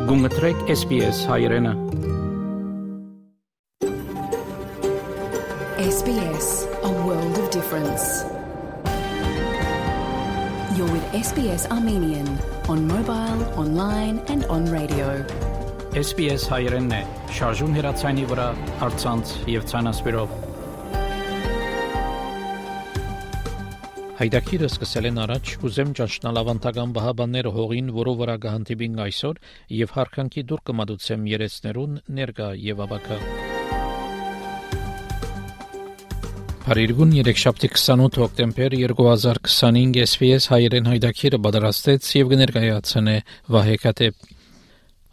Գումտրեք SBS հայրենը։ SBS, a world of difference. You're with SBS Armenian on mobile, online and on radio. SBS հայրենն է, շարժուն հեռացայինի վրա, առցանց եւ ցանասպիրով։ Հայդակիրը սկսել են առաջ, կուզեմ ճանչնալ ավանդական բահաբանները հողին, որով վրա գահանտիբին այսօր, եւ հարկանքի դուր կմադուցեմ երեցներուն ներկա եւ ավակա։ Փարիգուն 3-7 հոկտեմբեր 2025 SBS հայերեն հայդակիրը պատրաստեց եւ կներկայացնե Վահե Կատեփ։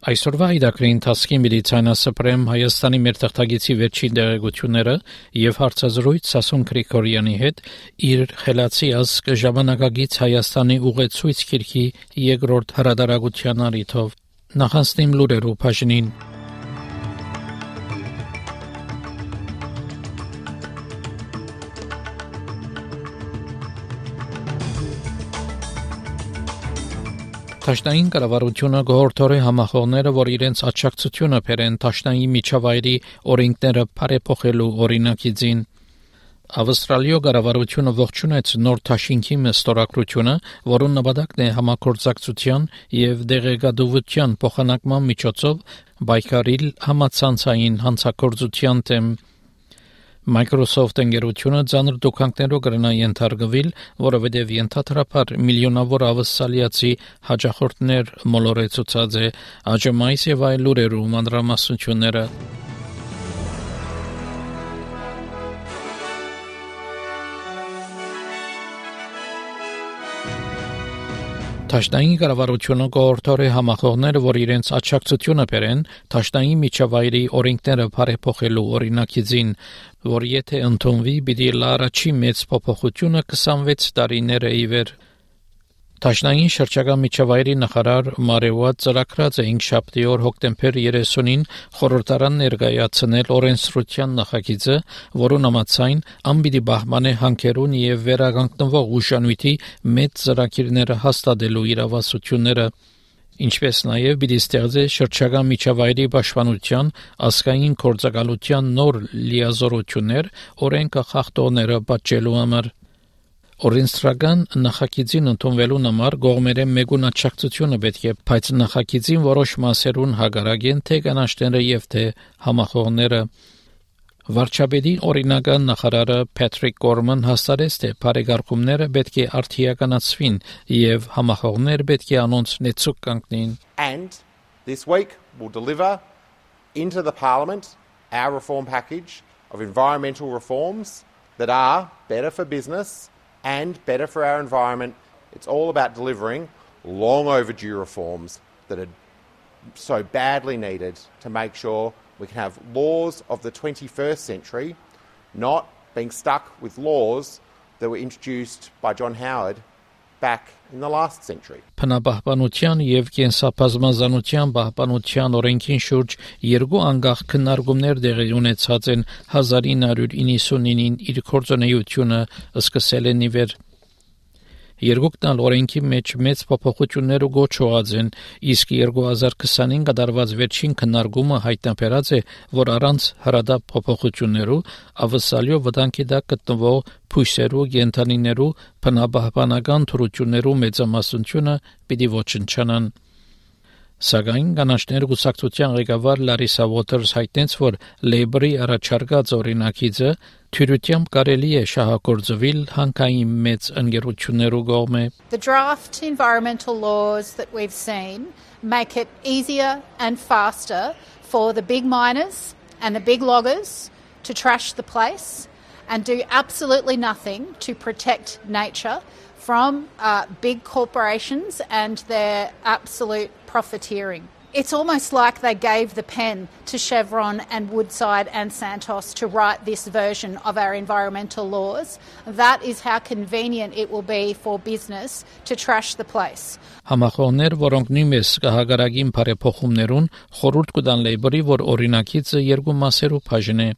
Այսօրվա հայդակրի ընթացքի մեդիցինասպրեմ Հայաստանի մեր թղթագիտի վերջին դերակցությունները եւ հարցազրույց Սասուն Գրիգորյանի հետ իր խելացի ազգ ժամանակագից Հայաստանի ուղեցույց քիրքի երկրորդ հրադարագության առիթով նախանցնիմ լուրերու բաժնին։ Տաշնային կառավարությունը գողորթորի համախոհները, որ իրենց աջակցությունը բերեն Տաշնայի միջավայրի օրենքները բարեփոխելու օրինակիցին։ Ավստրալիա կառավարությունը ողջունեց նոր Տաշինքի ստորագրությունը, որոնց նպատակն է համագործակցության եւ դեղեկատվության փոխանակման միջոցով պայքարել համացանցային հանցագործության դեմ։ Microsoft ընկերությունը ցաներ դոկումենտներով կրնա ենթարկվել, որովհետև ենթադրաբար միլիոնավոր ավստրալիացի հաջախորդներ մոլորեցուցած է ԱԺՄ-ից եւ այլ լուրերու մանրամասնությունները։ Տաշնային կառավարությունը գողորթորի համախոհները, որ իրենց աջակցությունը բերեն Տաշնայի միջավայրի օրենքները բարեփոխելու օրինակիցին, որ եթե ընդունվի, պիտի լարաչի մեծ փոփոխությունը 26 տարիներ ի վեր։ Տաշնային շրջակա միջավայրի նախարար Մարեուատ ծրագրած է 5 հոկտեմբեր 30-ին խորհրդարան ներկայացնել օրենսդրության նախագիծը, որոնց համաձայն անպիտի բահմանե հանքերուն եւ վերականգնվող ուժանույթի մեծ ծրագիրները հաստատելու իրավասությունները, ինչպես նաեւ պիտի ստեղծե շրջակա միջավայրի պաշտպանության ազգային գործակալության նոր լիազորություններ օրենքը խախտողները պատժելու համար։ Օրենսդրական նախագիծին ընդունվելու համար գողմերը մեգուն աջակցությունը պետք է, բայց նախագիծին որոշ մասերուն հակառակ են թե կանաչները եւ թե համախոհները։ Վարչապետի օրինական նախարարը Patrick Gorman հաստատեց, թե բարեկարգումները պետք է արդիականացվին եւ համախոհները պետք է անոնց նեցուկ կանգնին։ And this week we'll deliver into the Parliament our reform package of environmental reforms that are better for business and better for our environment. It's all about delivering long overdue reforms that are so badly needed to make sure we can have laws of the 21st century, not being stuck with laws that were introduced by John Howard back in the last century. Բնապահպանության եւ կենսաբազմազանության պահպանության օրենքին շուրջ երկու անգախ քննարկումներ տեղի ունեցած են 1999-ին իր գործունեությունը սկսել են իվեր։ Երկուքն օրենքի մեջ մեծ փոփոխություններ ու գոչված են, իսկ 2020-ին կատարված վերջին քննարկումը հայտնաբերած է, որ առանց հրադապ փոփոխություններու ավսալյո վտանգի տակ գտնվող փույսերու գենթանիներու բնապահպանական թրություններու մեծամասնությունը պիտի ոչնչանան։ Սակայն կանաչներ գուսակցության ղեկավար Լարիսա Ուոթերս հայտնեց, որ Լեյբորի առաջարկած օրինակիցը թյուրությամբ կարելի է շահագործվել հանքային մեծ ընկերություններու կողմէ։ The draft environmental laws that we've seen make it easier and faster for the big miners and the big loggers to trash the place and do absolutely nothing to protect nature from big corporations and their absolute profiteering. It's almost like they gave the pen to Chevron and Woodside and Santos to write this version of our environmental laws. That is how convenient it will be for business to trash the place. Համախոհներ, որոնք նույնպես կհագարագին բարեփոխումներուն խորհուրդ կտան Լեյբորի, որ օրինակիցը երկու մասերով բաժնե։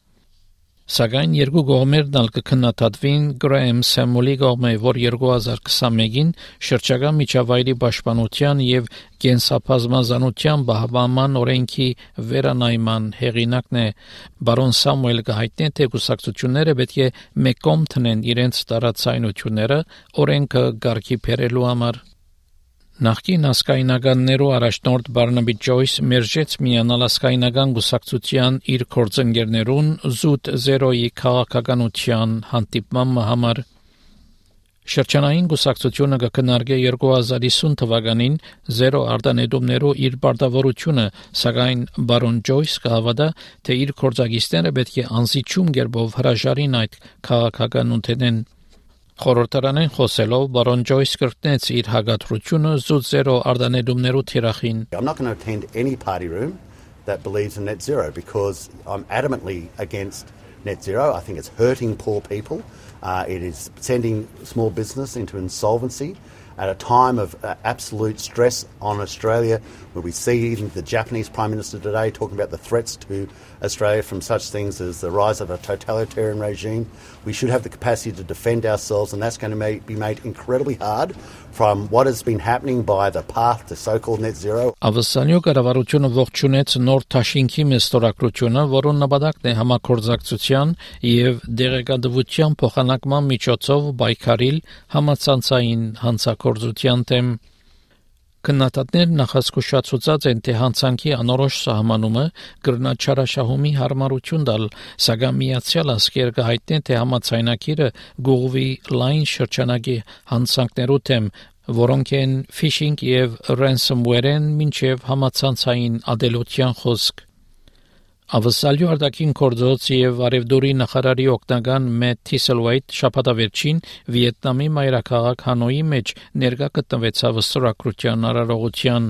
Սակայն երկու կողմերն ալ կքննադատվին Գրահեմ Սեմուլի կողմէ, որ 2021-ին շրջակա միջավայրի պաշտպանության եւ կենսաբազմազանության պահպանման օրենքի վերանայման հեղինակն է։ Բարոն Սամուել կհայտնի, թե կուսակցությունները պետք է մեկում տնեն իրենց տարածայնությունները օրենքը կարգի բերելու համար։ Նախկին ասկայնականներու առաջնորդ Բարնաբի Ջոյս մերժեց միանալ ասկայնական գուսակցության իր կորձընկերներուն զուտ զերոյի քաղաքականության հանդիպման համար։ Շրջանային գուսակցությունը կքննարկե 2050 թվականին զերո արտանետումներու իր պարտավորությունը, սակայն Բարոն Ջոյս կհավատա, թե իր կորձագիստները պետք է անզիջում կերպով հրաժարին այդ քաղաքականությունեն։ Խորհրդարանեն խոսելով Բարոն Ջոյս կրկնեց իր հակադրությունը զուտ զերո արտանետումներու թիրախին։ I'm not going to attend any party room that believes in net zero because I'm adamantly against net zero. I think it's hurting poor people. It is sending small business into insolvency at a time of absolute stress on Australia, where we see even the Japanese Prime Minister today talking about the threats to Australia from such things as the rise of a totalitarian regime. We should have the capacity to defend ourselves, and that's going to be made incredibly hard from what has been happening by the path to so-called net zero. Ավսանյո կառավարությունը ողջունեց նոր Թաշինքի մեստորակրությունը, որոնց նպատակն է համակորձակցության եւ դեղեկատվության փոխանակման միջոցով պայքարիլ համացանցային հանցագործության դեմ։ Քննադատներ նախազգուշացուցած են, թե հանցանքի անորոշ սահմանումը կրնաչարաշահումի հարմարություն տալ, սակայն Միացյալ Ազգերը կհայտնեն, թե համաձայնագիրը գուղվի լայն շրջանակի հանցանքներու դեմ, որոնք են phishing եւ ransomware-ն մինչեւ համացանցային ադելության խոսք։ Ավսալյու արտաքին գործոց եւ արևդուրի նախարարի օգնական Մեթ Թիսելվեյթ շաբաթավերջին Վիետնամի մայրաքաղաք Հանոյի մեջ ներկա գտնվեցավ ստորագրության արարողության։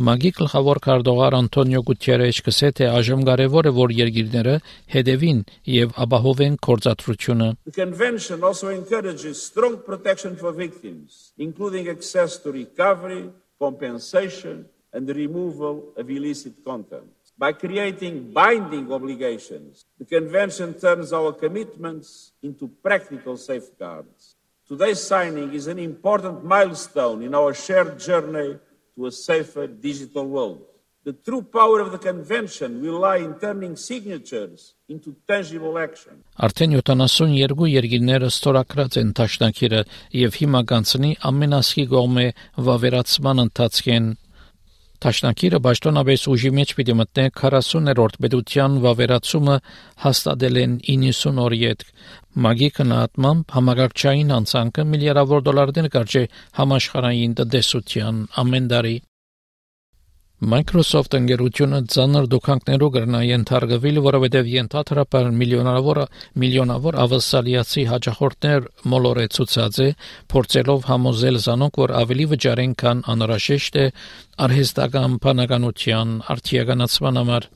Մագի գլխավոր քարտուղար Անտոնիո Գուտերեշ կսե, թե այժմ կարևոր է, որ երկիրները հետևին եւ ապահովեն գործադրությունը։ The convention also encourages strong protection for victims, including access to recovery, compensation and the removal of illicit content. By creating binding obligations, the Convention turns our commitments into practical safeguards. Today's signing is an important milestone in our shared journey to a safer digital world. The true power of the Convention will lie in turning signatures into tangible action. Արդեն 72 երկիրները ստորագրած են Թաշնակիրը եւ հիմա կանցնի ամենասկի կողմէ վավերացման ընթացքեն։ Թաշնակիրը պաշտոնապես ուժի մեջ պիտի մտնե 40-րդ պետության վավերացումը հաստատել են 90 օր յետք։ Մագի քննադատմամբ համագարկչային հանցանքը միլիարդավոր դոլարներ կարճե համաշխարհային տնտեսության ամեն տարի։ Microsoft ընկերությունը ծանր դոքանքներով կրնա ենթարկվել, որովհետև ենթադրաբար միլիոնավոր ավասալիացի հաճախորդներ մոլորեցուցած է, փորձելով համոզել զանոնք, որ ավելի վճարեն, քան անհրաժեշտ է արհեստական բանականության արդիականացման համար։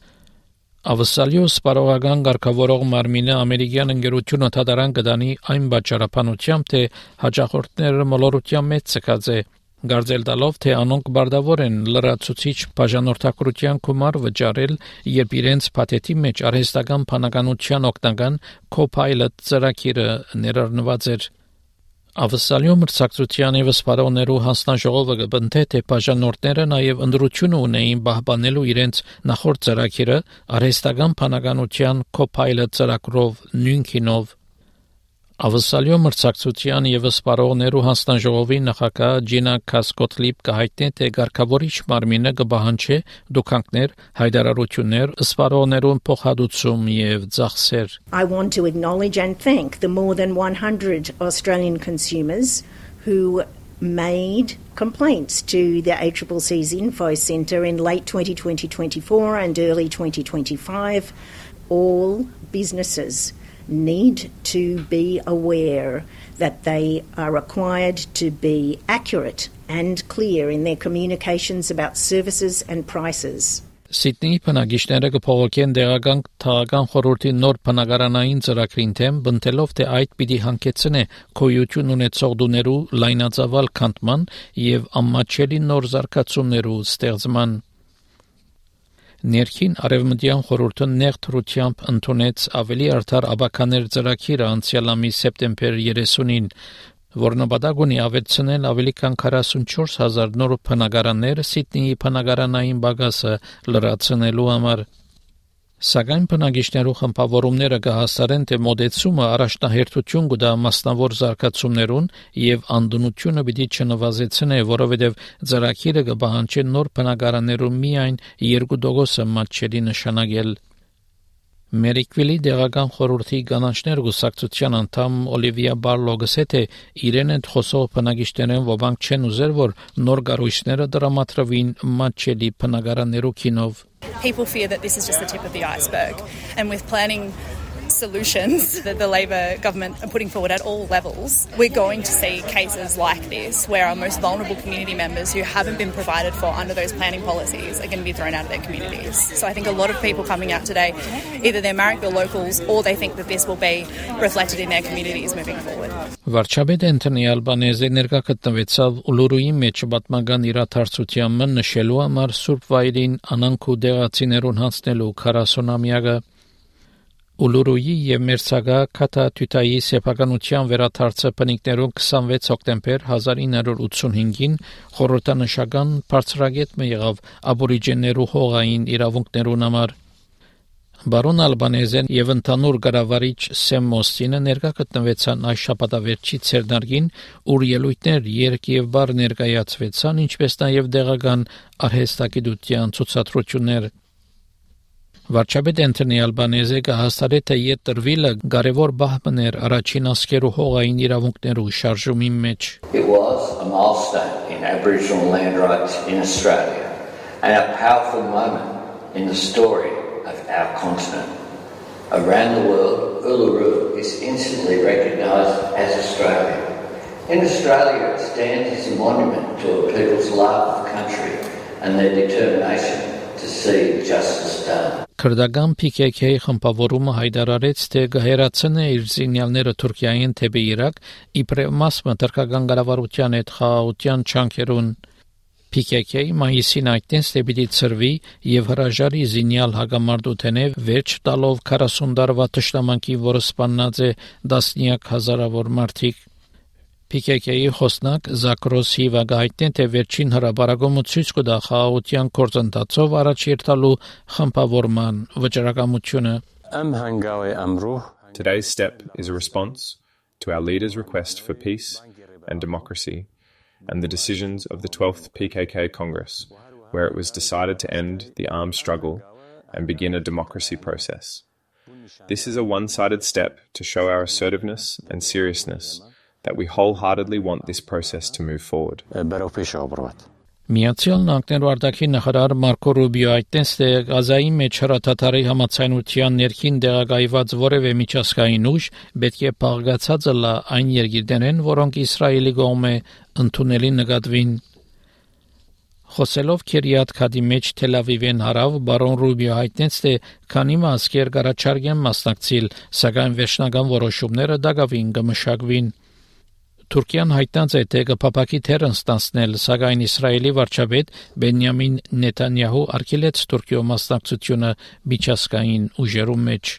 Ավսալյո սպարողական ղեկավարող Մարմինը ամերիկյան ընկերությունը թադարան կդանի այն պատճառաբանությամբ, թե հաճախորդները մոլորության մեջ ցկած է։ Գարձել տալով, թե անոնք բարդավոր են լրացուցիչ բաժանորդակրության գումար վճարել, երբ իրենց փաթեթի մեջ արհեստական բանականության օգնական Copilot ծրագիրը ներառնված էր։ Ավսալյո մրցակցության եւ սպառողներու հանձնաժողովը կբնթե, թե բաժանորդները նաեւ ընդրությունը ունեին պահպանելու իրենց նախորդ ծրագիրը արհեստական բանականության Copilot ծրագրով նույնքինով։ Ավսալյո մրցակցության եւ սպառողներու հանձնաժողովի նախագահ Ջինա Կասկոտլիպ կհայտնի, թե ղեկավարիչ Մարմինը կբահանջի դոքանքներ, հայտարարություններ, սպառողներուն փոխհատուցում եւ ծախսեր։ I want to acknowledge and thank the more than 100 Australian consumers who made complaints to the ACCC's Info Centre in late 2024 and early 2025. All businesses need to be aware that they are required to be accurate and clear in their communications about services and prices. Սիդնեի բնակիչները կփողոքեն դեղական թաղական խորհրդի նոր բնակարանային ծրագրին թեմ, բնտելով, թե այդ պիտի հանգեցնե գոյություն ունեցող դուներու լայնածավալ քանդման եւ ամաչելի նոր զարգացումներու ստեղծման։ Ներքին արևմտյան խորհուրդը նեղ թրությամբ ընդունեց ավելի արդար աբականեր ծրագիրը անցյալ ամիս սեպտեմբեր 30-ին, որ նպատակ ունի ավելցնել ավելի քան 44,000 նոր բնակարաններ Սիդնեի բնակարանային բագասը լրացնելու համար։ Սակայն բնակիչներու խմբավորումները կհաստատեն, թե մոդեցումը առաջնահերթություն կտա մասնավոր զարգացումներուն եւ անդունությունը պիտի չնվազեցնե, որովհետեւ ծրագիրը կպահանջի նոր բնակարաններու միայն 2% մատչելի նշանակել։ Մերիկվիլի դեղական խորհրդի կանանչներ գուսակցության անդամ Օլիվիա Բարլոգը թե իրեն են խոսող բնակիչներն ոմանք չեն ուզեր, որ նոր կառույցները դրամատրվին մատչելի բնակարաններու քինով։ People fear that this is just the tip of the iceberg, and with planning solutions that the Labor government are putting forward at all levels, we're going to see cases like this where our most vulnerable community members who haven't been provided for under those planning policies are going to be thrown out of their communities. So I think a lot of people coming out today, either they're Marrickville locals or they think that this will be reflected in their communities moving forward. Վարչապետ Անթոնի Ալբանեզը ներկա գտնվեցավ Ուլուրուի մեջ պատմական իրադարձությանը նշելու համար Սուրբ Վայրին անանք ու դեղացիներուն հանձնելու 40-ամյակը Ուլուրուի եւ Մերսագա Քաթա-Թութայի սեփականության վերադարձը բնիկներուն 26 հոկտեմբեր 1985-ին խորհրդանշական բարձրագետը եղավ աբորիջեներու հողային իրավունքներուն համար։ Բարոն Ալբանեզեն եւ ընդհանուր կառավարիչ Սեմ Մոստինը ներկա գտնվեցան այս շաբաթավերջի ցերնարգին, ուր ելույթներ երկ եւ բար ներկայացվեցան, ինչպես նաեւ դեղական արհեստագիտության ցուցադրություններ։ Վարչապետ Անթոնի Ալբանեզը հաստատեց, թե իդ տրվիլը կարևոր բահման էր առաջին ասկերու հողային իրավունքներու շարժումի մեջ։ It was a milestone in Aboriginal land rights in Australia and a powerful moment in the story of our continent. Around the world, Uluru is instantly recognised as Australian. In Australia, it stands as a monument to a people's love of the country and their determination to see justice done. Քրդական PKK խմբավորումը հայտարարեց, թե կհերացնե իր զինյալները Թուրքիային թեպի Իրաք, իբրև մասը թուրքական կառավարության հետ խաղաղության չանքերուն։ PKK մայիսին այդտենց թե պիտի ծրվի եւ հրաժարի զինյալ հագամարտութենե վերջ տալով 40 տարվա թշնամանքի, որը սպանած է տասնյակ հազարավոր մարդիկ։ PKK-ի խոսնակ Զակրոս Հիվագը հայտնեց, թե վերջին հրապարակումը ցույց կտա խաղաղության գործընթացով առաջ երթալու խմբավորման վճռականությունը։ Today's step is a response to our leaders' request for peace and democracy and the decisions of the 12th PKK Congress, where it was decided to end the armed struggle and begin a democracy process. This is a one-sided step to show our assertiveness and seriousness that we wholeheartedly want this process to move forward. Միացյալ Նահանգներու արտաքին նախարար Մարկո Ռուբիո այդտենց թե Գազայի մեջ հրաթաթարի համացայնության ներքին դեղագայված որևէ միջազգային ուժ պետք է փաղկացած լա այն երկիրներեն, որոնք Իսրայելի կողմէ ընդունելի նկատվին։ Խոսելով Քերիաթ Քադի մեջ Թել Ավիվեն հարավ, բարոն Ռուբիո հայտնեց, թե քանի մասկեր կառաջարկեն մասնակցել, սակայն վերջնական որոշումները դակավին կմշակվին։ Թուրքիան հայտնած է, թե կփապակի թերն ստանցնել, սակայն Իսրայելի վարչապետ Բենյամին Նեթանյահու արգելեց Թուրքիո մասնակցությունը միջազգային ուժերու մեջ։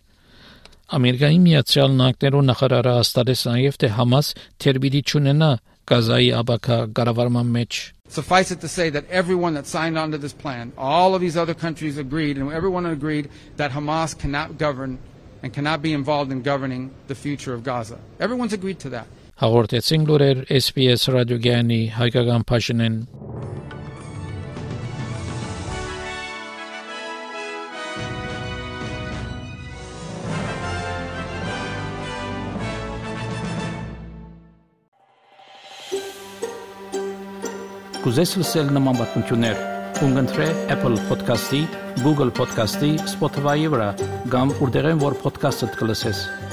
Ամերիկայի Միացյալ Նահանգներու նախարարը հաստատեց նաև, թե Համաս թերբիդի չունենա Գազայի աբակա կառավարման մեջ։ Suffice it to say that everyone that signed on to this plan, all of these other countries agreed, and everyone agreed that Hamas cannot govern and cannot be involved in governing the future of Gaza. Everyone's agreed to that. Հաղորդեցին լուրեր SBS ռադիոգյանի հայկական բաժնեն։ Կուզես լսել նման բանություններ, կընտրե Apple Podcast-ի, Google Podcast-ի, Spotify-ի վրա, կամ որտեղեն որ podcast-ը կլսես։